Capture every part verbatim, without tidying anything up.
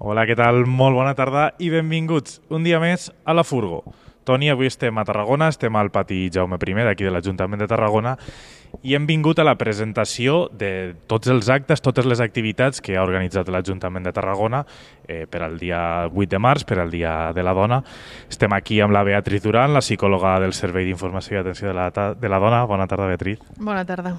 Hola, què tal? Molt bona tarda i benvinguts un dia més a la Furgo. Toni, avui estem a Tarragona, estem al pati Jaume primer d'aquí de l'Ajuntament de Tarragona i hem vingut a la presentació de tots els actes, totes les activitats que ha organitzat l'Ajuntament de Tarragona eh, per al dia vuit de març, per al Dia de la Dona. Estem aquí amb la Beatriz Duran, la psicòloga del Servei d'Informació i Atenció de la, de la Dona. Bona tarda, Beatriz. Bona tarda.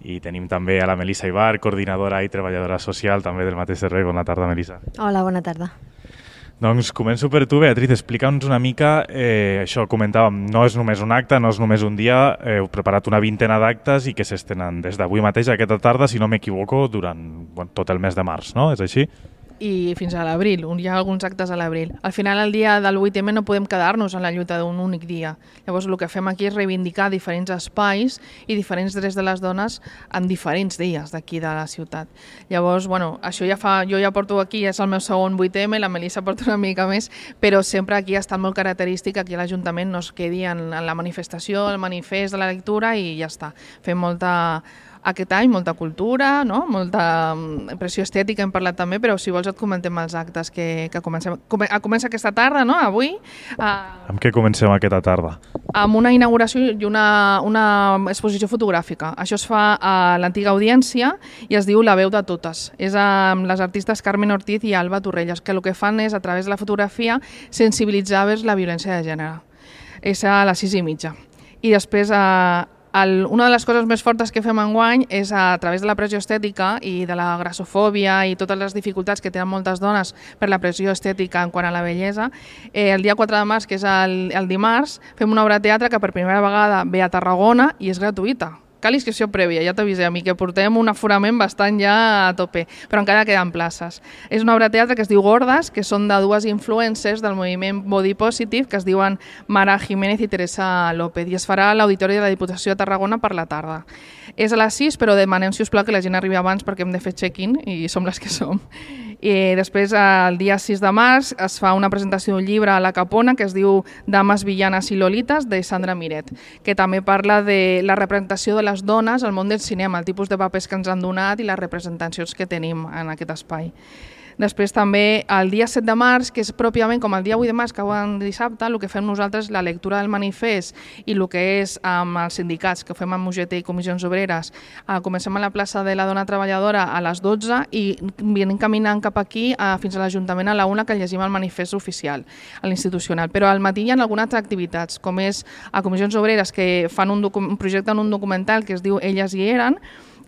I tenim també a la Melissa Ibar, coordinadora i treballadora social també del mateix servei. Bona tarda, Melissa. Hola, bona tarda. Doncs començo per tu, Beatriz. Explica'ns una mica, eh, això comentàvem, no és només un acte, no és només un dia, heu preparat una vintena d'actes i que s'estenen des d'avui mateix, aquesta tarda, si no m'equivoco, durant bueno, tot el mes de març, no? És així? I fins a l'abril, hi ha alguns actes a l'abril. Al final, el dia del vuit eme no podem quedar-nos en la lluita d'un únic dia. Llavors, el que fem aquí és reivindicar diferents espais i diferents drets de les dones en diferents dies d'aquí de la ciutat. Llavors, bueno, això ja fa, jo ja porto aquí, és el meu segon vuit eme, la Melissa porta una mica més, però sempre aquí ha estat molt característic que aquí a l'Ajuntament no es quedi en, en la manifestació, el manifest de la lectura i ja està. Fem molta... Aquest any molta cultura, no? Molta impressió estètica hem parlat també, però si vols et comentem els actes que, que comencem. Come, comença aquesta tarda, no? Avui. Uh, amb què comencem aquesta tarda? Amb una inauguració i una, una exposició fotogràfica. Això es fa a l'antiga Audiència i es diu La veu de totes. És amb les artistes Carmen Ortiz i Alba Torrelles, que el que fan és, a través de la fotografia, sensibilitzar vers la violència de gènere. És a les sis i mitja. I després... Uh, El, una de les coses més fortes que fem enguany és a través de la pressió estètica i de la grassofòbia i totes les dificultats que tenen moltes dones per la pressió estètica en quant a la bellesa. Eh, el dia quatre de març, que és el, el dimarts, fem una obra de teatre que per primera vegada ve a Tarragona i és gratuïta. Cal inscripció prèvia, ja t'avisem, i que portem un aforament bastant ja a tope, però encara queden places. És una obra de teatre que es diu Gordes, que són de dues influencers del moviment Body Positive, que es diuen Mara Jiménez i Teresa López, i es farà a l'Auditori de la Diputació de Tarragona per la tarda. És a les sis, però demanem, si us plau, que la gent arribi abans perquè hem de fer check-in i som les que som. I després, el dia sis de març, es fa una presentació d'un llibre a la Capona que es diu Dames, villanes i lolites, de Sandra Miret, que també parla de la representació de les dones al món del cinema, el tipus de papers que ens han donat i les representacions que tenim en aquest espai. Després també el dia set de març, que és pròpiament com el dia vuit de març, que en dissabte, el que fem nosaltres és la lectura del manifest i el que és amb els sindicats, que ho fem amb U G T i Comissions Obreres. Comencem a la plaça de la Dona Treballadora a les dotze i venim caminant cap aquí fins a l'Ajuntament a la una, que llegim el manifest oficial, a l'institucional. Però al matí hi ha algunes altres activitats, com és a Comissions Obreres, que fan un, un projecte en un documental que es diu Elles hi eren,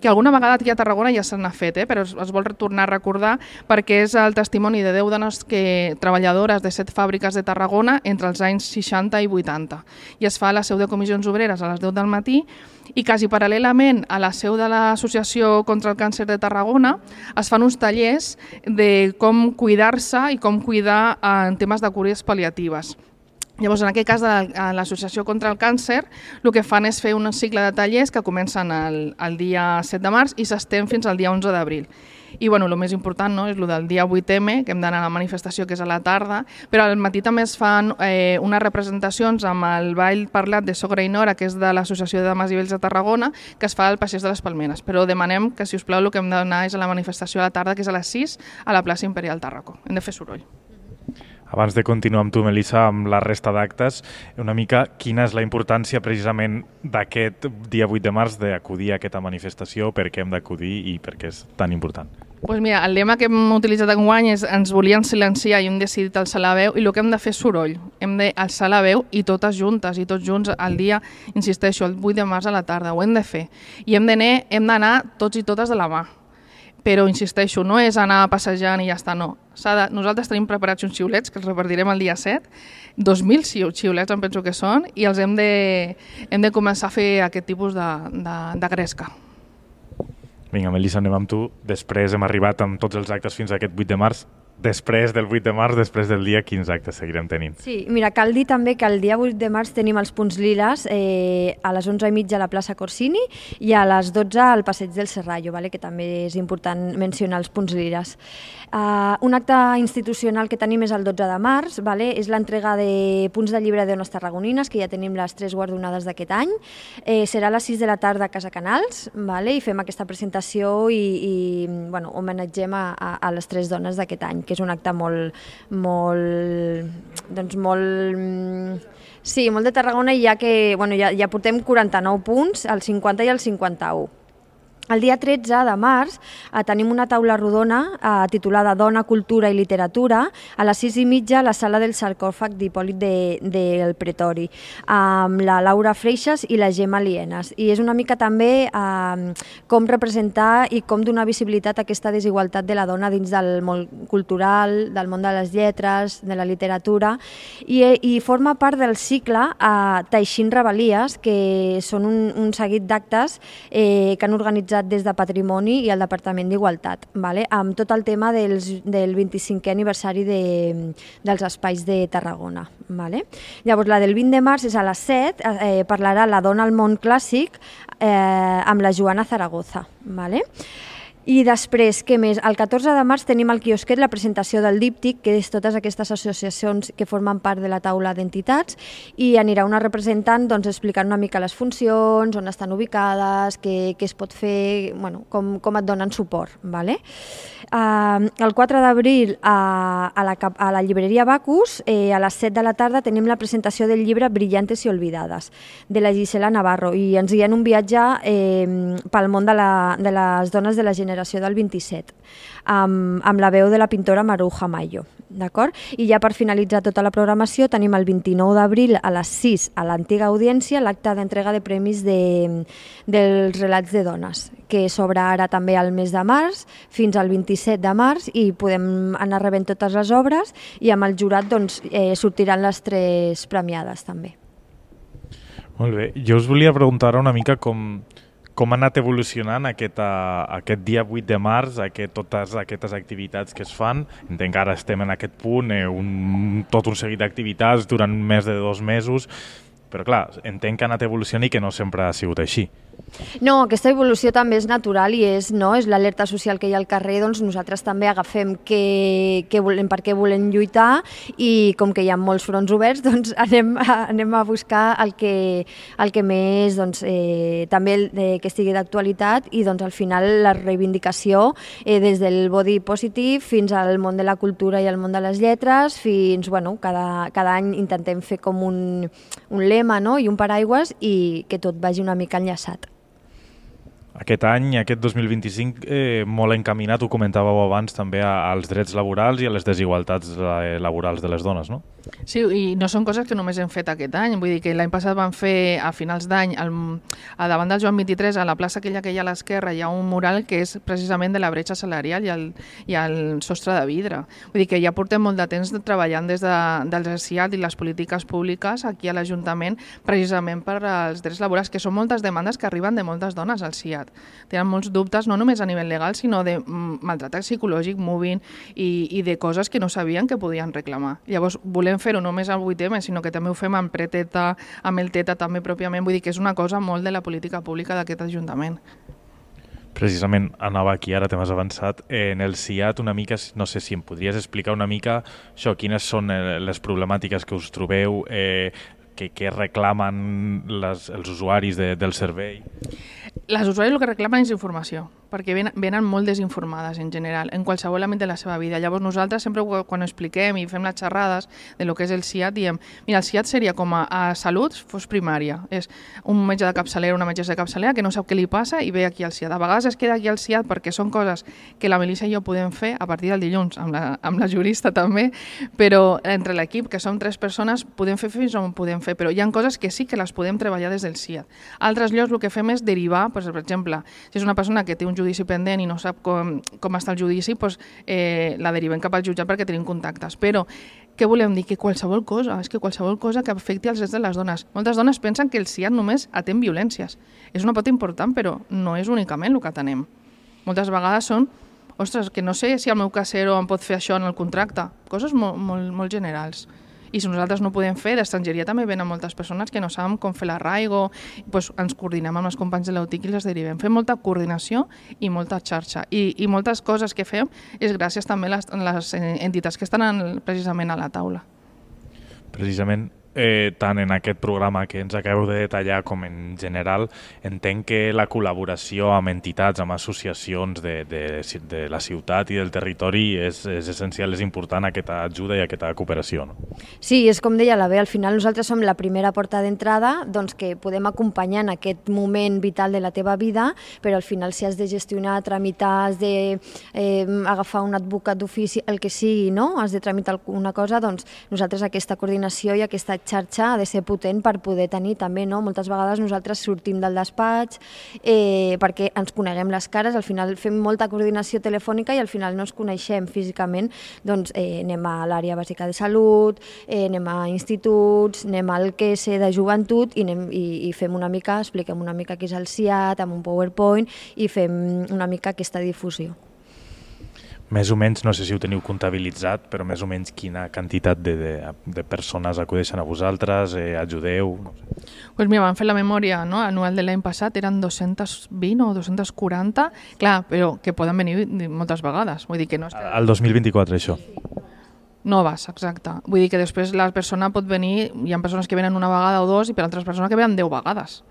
que alguna vegada aquí a Tarragona ja se n'ha fet, eh? Però es, es vol tornar a recordar perquè és el testimoni de deu dones que, treballadores de set fàbriques de Tarragona entre els anys seixanta i vuitanta. I es fa a la seu de Comissions Obreres a les deu del matí i quasi paral·lelament a la seu de l'Associació contra el Càncer de Tarragona es fan uns tallers de com cuidar-se i com cuidar en temes de cures pal·liatives. Llavors, en aquest cas, a l'Associació contra el Càncer, el que fan és fer un cicle de tallers que comencen el, el dia set de març i s'estén fins al dia onze d'abril. I bueno, el més important, no, és el del dia vuit eme, que hem d'anar a la manifestació, que és a la tarda, però al matí també es fan eh, unes representacions amb el ball parlat de Sogra i Nora, que és de l'Associació de Dames i Vells de Tarragona, que es fa al Passeig de les Palmeres. Però demanem que, si us plau, el que hem d'anar és a la manifestació a la tarda, que és a les sis, a la plaça Imperial Tàrraco. Hem de fer soroll. Abans de continuar amb tu, Melissa, amb la resta d'actes, una mica quina és la importància precisament d'aquest dia vuit de març d'acudir a aquesta manifestació, per què hem d'acudir i per què és tan important? Pues mira, el lema que hem utilitzat enguany és ens volien silenciar i hem decidit alçar la veu i el que hem de fer és soroll. Hem d'alçar la veu i totes juntes i tots junts al dia, insisteixo, el vuit de març a la tarda, ho hem de fer. I hem d'anar tots i totes de la mà. Però, insisteixo, no és anar passejant i ja està, no. De, nosaltres tenim preparats uns xiulets que els repartirem el dia set, dos mil xiulets em penso que són, i els hem de, hem de començar a fer aquest tipus de, de, de gresca. Vinga, Melissa, anem amb tu. Després hem arribat amb tots els actes fins a aquest vuit de març. Després del vuit de març, després del dia, quins actes seguirem tenint? Sí, mira, cal dir també que el dia vuit de març tenim els punts liles eh, a les onze i mitja a la plaça Corsini i a les dotze al passeig del Serrallo, vale? Que també és important mencionar els punts liles. Uh, un acte institucional que tenim és el dotze de març, vale? És l'entrega de punts de llibre de dones tarragonines, que ja tenim les tres guardonades d'aquest any. Eh, serà a les sis de la tarda a Casa Canals, vale? I fem aquesta presentació i, i bueno, homenatgem a, a, a les tres dones d'aquest any. que és un acte molt, molt, doncs molt, sí, molt de Tarragona, i ja que, bueno, ja, ja portem quaranta-nou punts, el cinquanta i el cinquanta-u. El dia tretze de març eh, tenim una taula rodona eh, titulada Dona, Cultura i Literatura a les sis i mitja a la sala del sarcòfag d'Hipòlit de, del Pretori, amb la Laura Freixas i la Gemma Lienas. I és una mica també eh, com representar i com donar visibilitat a aquesta desigualtat de la dona dins del món cultural, del món de les lletres, de la literatura, i, i forma part del cicle eh, Teixint Rebel·lies, que són un, un seguit d'actes eh, que han organitzat des de Patrimoni i el Departament d'Igualtat, vale? Amb tot el tema dels, del vint-i-cinquè aniversari de, dels espais de Tarragona. Vale? Llavors, la del vint de març és a les set, eh, parlarà La dona al món clàssic eh, amb la Joana Zaragoza. Vale? I després, què més? El catorze de març tenim al quiosquet la presentació del díptic, que és totes aquestes associacions que formen part de la taula d'entitats, i anirà una representant doncs, explicant una mica les funcions, on estan ubicades, què, què es pot fer, bueno, com, com et donen suport. Vale? Uh, el quatre d'abril a, a, la, a la llibreria Bacus, eh, a les set de la tarda tenim la presentació del llibre Brillantes y olvidades, de la Gisela Navarro, i ens guien un viatge eh, pel món de, la, de les dones de la generació del vint-i-set, amb, amb la veu de la pintora Maruja Mayo. D'acord? I ja per finalitzar tota la programació tenim el vint-i-nou d'abril a les sis a l'antiga audiència l'acte d'entrega de premis de, dels relats de dones, que s'obre ara també al mes de març fins al vint-i-set de març, i podem anar rebent totes les obres, i amb el jurat doncs, eh, sortiran les tres premiades també. Molt bé. Jo us volia preguntar una mica com, com ha anat evolucionant aquest, uh, aquest dia vuit de març, aquest, totes aquestes activitats que es fan. Entenc que ara estem en aquest punt, eh, un, tot un seguit d'activitats durant més de dos mesos, però clar, entenc que ha anat evolucionant i que no sempre ha sigut així. No, aquesta evolució també és natural i és, no, és l'alerta social que hi ha al carrer, doncs nosaltres també agafem què, què volem, per què volem lluitar, i com que hi ha molts fronts oberts, doncs anem a, anem a buscar el que, el que més, doncs, eh, també el, eh, que estigui d'actualitat, i doncs al final la reivindicació eh, des del body positive fins al món de la cultura i al món de les lletres, fins, bueno, cada, cada any intentem fer com un, un lema, no?, i un paraigües, i que tot vagi una mica enllaçat. Aquest any, aquest dos mil vint-i-cinc, eh, molt encaminat, ho comentàveu abans, també als drets laborals i a les desigualtats eh, laborals de les dones, no? Sí, i no són coses que només hem fet aquest any. Vull dir que l'any passat vam fer, a finals d'any, a davant del Joan vint-i-tres, a la plaça aquella que hi ha a l'esquerra, hi ha un mural que és precisament de la bretxa salarial i el, i el sostre de vidre. Vull dir que ja portem molt de temps treballant des de, del S I A D i les polítiques públiques aquí a l'Ajuntament, precisament per als drets laborals, que són moltes demandes que arriben de moltes dones al S I A D. Tenen molts dubtes, no només a nivell legal, sinó de maltractat psicològic, moving, i, i de coses que no sabien que podien reclamar. Llavors, volem fer-ho no només al vuit eme, sinó que també ho fem amb preteta, amb el teta també pròpiament. Vull dir que és una cosa molt de la política pública d'aquest Ajuntament. Precisament anava aquí, ara t'has avançat, en el S I A D una mica, no sé si em podries explicar una mica això, quines són les problemàtiques que us trobeu, eh, que, que reclamen les, els usuaris de, del servei. Les usuaris el que reclamen és informació, perquè venen, venen molt desinformades en general, en qualsevol àmbit de la seva vida. Llavors nosaltres sempre quan ho expliquem i fem les xerrades de lo que és el S I A D, diem, mira, el S I A D seria com a, a salut fos primària. És un metge de capçalera, una metgessa de capçalera que no sap què li passa i ve aquí al S I A D. A vegades es queda aquí al S I A D perquè són coses que la Melissa i jo podem fer a partir del dilluns, amb la, amb la jurista també, però entre l'equip, que som tres persones, podem fer fins on podem fer, però hi ha coses que sí que les podem treballar des del S I A D. Altres llocs el que fem és derivar, doncs, per exemple, si és una persona que té un judici pendent i no sap com, com està el judici, doncs, eh, la derivem cap al jutjat perquè tenim contactes. Però què volem dir? Que qualsevol cosa, és que qualsevol cosa que afecti els drets de les dones. Moltes dones pensen que el S I A D només atén violències. És una pota important, però no és únicament el que atenem. Moltes vegades són, ostres, que no sé si el meu casero em pot fer això en el contracte. Coses molt, molt, molt generals. I si nosaltres no ho podem fer, d'estrangeria també venen moltes persones que no saben com fer l'arraigo, doncs ens coordinem amb els companys de l'U T I C i les derivem. Fem molta coordinació i molta xarxa. I, i moltes coses que fem és gràcies també a les, les entitats que estan en, precisament a la taula. Precisament eh, tant en aquest programa que ens acabeu de detallar com en general, entenc que la col·laboració amb entitats, amb associacions de, de, de la ciutat i del territori és, és essencial, és important aquesta ajuda i aquesta cooperació. No? Sí, és com deia la Bé, al final nosaltres som la primera porta d'entrada, doncs que podem acompanyar en aquest moment vital de la teva vida, però al final si has de gestionar, tramitar, has de eh, agafar un advocat d'ofici, el que sigui, no? Has de tramitar alguna cosa, doncs nosaltres aquesta coordinació i aquesta xarxa ha de ser potent per poder tenir també, no? Moltes vegades nosaltres sortim del despatx eh, perquè ens coneguem les cares, al final fem molta coordinació telefònica i al final no ens coneixem físicament, doncs eh, anem a l'àrea bàsica de salut, eh, anem a instituts, anem al Q S de joventut i, anem, i, i fem una mica, expliquem una mica què és el C I A T amb un PowerPoint i fem una mica aquesta difusió. Més o menys, no sé si ho teniu comptabilitzat, però més o menys quina quantitat de, de, de persones acudeixen a vosaltres, eh, ajudeu? No sé. Pues mira, vam fer la memòria, no? Anual de l'any passat eren dos-cents vint o dos-cents quaranta, clar, però que poden venir moltes vegades. Vull dir que no és que... Al dos mil vint-i-quatre, això? Noves, exacte. Vull dir que després la persona pot venir, hi ha persones que venen una vegada o dos i per altres persones que venen deu vegades.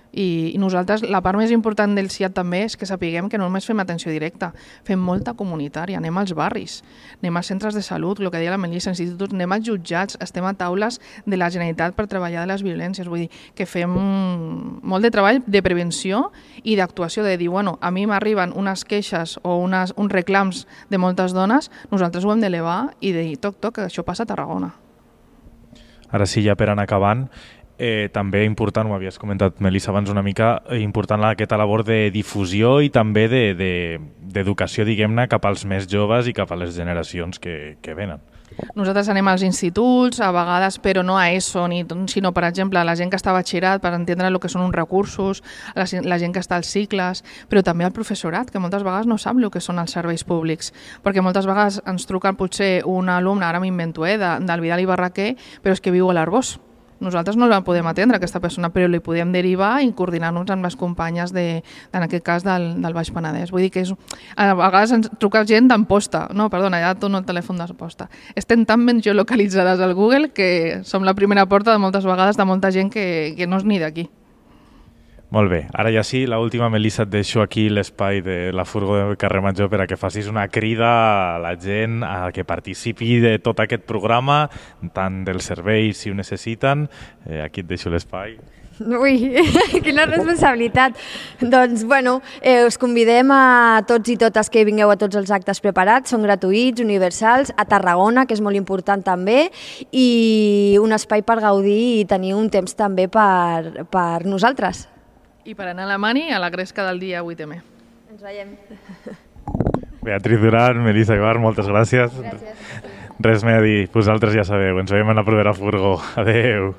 I, i nosaltres, la part més important del C I A T també és que sapiguem que no només fem atenció directa, fem molta comunitària, anem als barris, anem als centres de salut, el que deia la Melissa, instituts, anem als jutjats, estem a taules de la Generalitat per treballar de les violències, vull dir que fem molt de treball de prevenció i d'actuació, de dir, bueno, a mi m'arriben unes queixes o unes, uns reclams de moltes dones, nosaltres ho hem d'elevar i de dir, toc, toc, això passa a Tarragona. Ara sí, ja per anar acabant, Eh, també important, ho havies comentat, Melissa, abans una mica, eh, important aquesta labor de difusió i també d'educació, de, de, diguem-ne, cap als més joves i cap a les generacions que, que venen. Nosaltres anem als instituts, a vegades, però no a ESO, ni, sinó, per exemple, a la gent que està a batxillerat per entendre el que són uns recursos, la, la gent que està als cicles, però també al professorat, que moltes vegades no sap el que són els serveis públics, perquè moltes vegades ens truquen potser un alumne, ara m'invento, eh, de, del Vidal i Barraquer, però és que viu a l'Arboç. Nosaltres no la podem atendre, aquesta persona, però li podem derivar i coordinar-nos amb les companyes, de, en aquest cas, del, del Baix Penedès. Vull dir que és, a vegades ens truca gent d'Amposta. No, perdona, ja dono el telèfon d'Amposta. Estem tan ben geolocalitzades al Google que som la primera porta de moltes vegades de molta gent que, que no és ni d'aquí. Molt bé. Ara ja sí, l'última, Melissa, et deixo aquí l'espai de la furgo de Carrer Major per a que facis una crida a la gent a que participi de tot aquest programa, tant dels serveis si ho necessiten. Eh, aquí et deixo l'espai. Ui, quina responsabilitat. Doncs, bueno, eh, us convidem a tots i totes que vingueu a tots els actes preparats, són gratuïts, universals, a Tarragona, que és molt important també, i un espai per gaudir i tenir un temps també per, per nosaltres. I per anar a la Mani, a la gresca del dia vuit eme. Ens veiem. Beatriz Duran, Melissa Ibar, moltes gràcies. Gràcies. Res més a dir, vosaltres ja sabeu, ens veiem en la propera furgo. Adeu.